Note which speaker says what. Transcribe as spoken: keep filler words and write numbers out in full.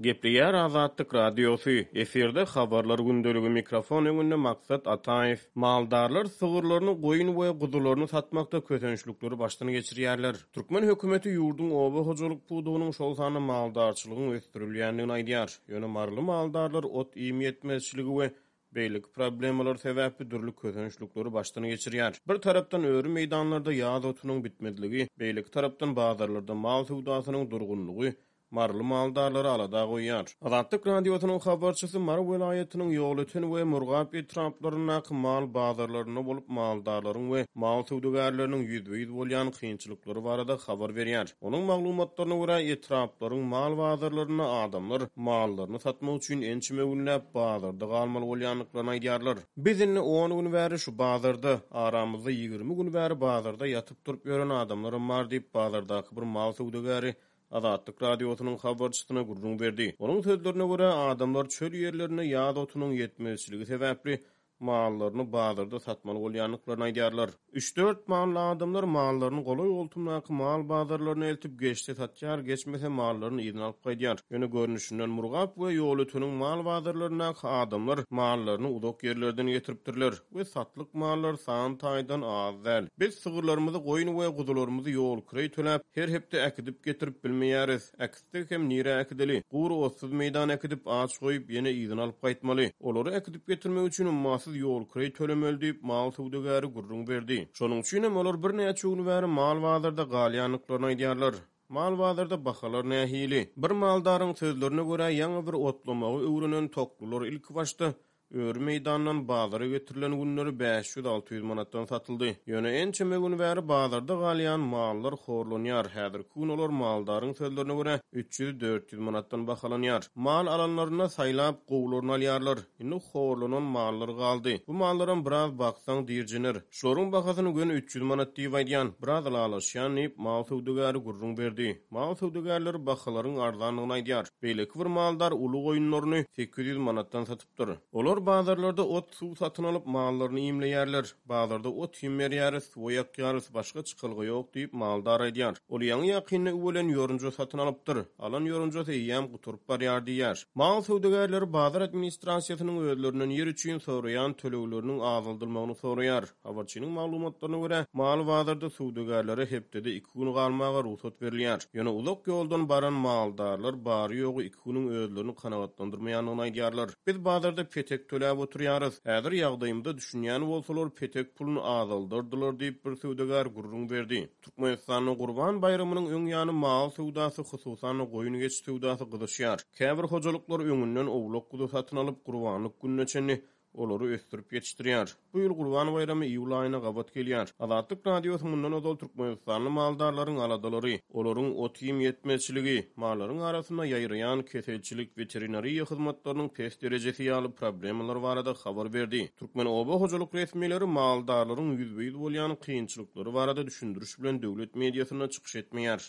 Speaker 1: Gepleýär Azatlyk Radiosy, efirde Habarlar gündeligi, mikrofon öňünde Maksat Ataýew. Maldarlar sygyrlaryny, goýun we guzularyny satmakda kösençlikleri başdan geçirýärler. Türkmen hökümeti ýurduň oba hojalyk pudagynyň, şol sanda maldarçylygyň ösdürilýändigini aýdýar. Ýöne maryly maldarlar ot-iým ýetmezçiligi we beýleki problemalar sebäpli dürli kösençlikleri başdan geçirýär. Bir tarapdan öri meýdanlarda ýaz otunyň bitmezligi, beýleki tarapdan bazarlarda mal söwdasynyň durgunlygy maryly maldarlary alada goýýar. Azatlyk Radiosynyň habarçysy Mary welaýatynyň Ýolöten we Murgap etraplaryndaky mal bazarlarynda bolup, maldarlaryň we mal söwdagärleriniň ýüzbe-ýüz bolýan kynçylyklary barada habar berýär. Onuň maglumatlaryna görä, etraplaryň mal bazarlarynda adamlar mallaryny satmak üçin ençeme günläp bazarda galmaly bolýandyklaryny aýdýarlar. Biz indi on gün bäri şu bazarda, aramyzda ýigrimi gün bäri bazarda ýatyp-turup ýören adamlaram bar diýip, bazardaky bir mal söwdagäri Azatlyk Radiosynyň habarçysyna gürrüň berdi. Onuň sözlerine görä, adamlar çöl ýerlerinde ýaz otunyň ýetmezçiligi sebäpli mallaryny bazarda satmaly bolýandyklaryny aýdýarlar. Üç-dört mally adamlar mallaryny golaý-goltumdaky mal bazarlaryna eltip, geçse satýar, geçmese mallaryny yzyna alyp gaýdýar. Ýöne görnüşinden Murgap we Ýolöteniň mal bazarlaryndaky adamlar mallaryny uzak ýerlerden getiripdirler we satlyk mallar san taýdan az däl. Biz sygyrlarymyzy, goýun we guzularymyzy ýol kireý töläp, her hepde äkidip getirip bilmeýäris. Äkitsek hem nirä äkideli? Gury otsuz meýdana äkidip, aç goýup, ýene yzyna alyp gaýtmaly. Olary äkidip getirmek üçin ummasyz ýol kireý tölemeli diýip, mal söwdagäri gürrüň berdi. Şonuň üçin hem olar birnäçe gün bäri mal bazarda galýandyklaryny aýdýarlar. Mal bazarda bahalar nähili? Bir maldaryň sözlerine görä, ýaňy bir otlamagy öwrenen toklular ilkibaşda öri meýdandan bazara getirilen günleri bäş ýüz-alty ýüz manatdan satyldy. Ýöne ençeme gün bäri bazarda galýan mallar horlanýar. Häzirki gün olar maldaryň sözlerine görä üç ýüz-dört ýüz manatdan bahalanýar. Mal alanlarynda saýlap gowularyny alýarlar. Indi horlanan mallar galdy. Bu mallaram biraz baksaň dirjener. Şularyň bahasyny göni üç ýüz manat diýip aýdýan, biraz ylalaşýan diýip, mal söwdagäri gürrüň berdi. Mal söwdagärleri bahalaryň arzandygyny aýdýar. Beýleki bir maldar uly goýunlaryny sekiz ýüz manatdan satypdyr. Olar bazarlarda ot suw satyn alyp mallaryny iýmleýärler. Bazarda ot iým berýäris, suwa ýakýarys, başga çykalga ýok diýip, maldar aýdýar. Ol ýaňy-ýakynda üwelen ýorunja satyn alypdyr. Alan ýorunjasy eýýäm gutaryp barýar diýýär. Mal söwdagärleri bazar administrasiýasynyň özlerinden ýer üçin soraýan tölegleriniň azaldylmagyny soraýar. Habarçynyň maglumatlaryna görä, mal bazarda söwdagärlere hepdede iki gün galmaga rugsat berilýär. Ýöne uzak ýoldan baran maldarlar bary-ýogy iki günüň özlerini kanagatlandyrmaýandygyny aýdýarlar. Biz bazarda petek töläp oturýarys. Häzir ýagdaýymyza düşünýän bolsalar petek puluny azaldardylar diýip bir söwdagär gürrüň berdi. Türkmenistanda Gurban baýramynyň öň ýany mal söwdasy, hususan-da goýun-geçi söwdasy gyzyşýar. Käbir hojalyklar öňünden owlak guzy satyn alyp, gurbanlyk gününe çenli olary ösdürip ýetişdirýär. Bu ýyl Gurban baýramy iýul aýyna gabat gelýär. Azatlyk Radiosy mundan ozal Türkmenistanly maldarlaryň aladalary, olaryň ot-iým ýetmezçiligi, mallaryň arasynda ýaýraýan keselçilik, weterinariýa hyzmatlarynyň pes derejesi ýaly problemalar barada habar berdi. Türkmen oba hojalyk resmileri maldarlaryň ýüzbe-ýüz bolýan kynçylyklary barada düşündiriş bilen döwlet mediasynda çykyş etmeýär.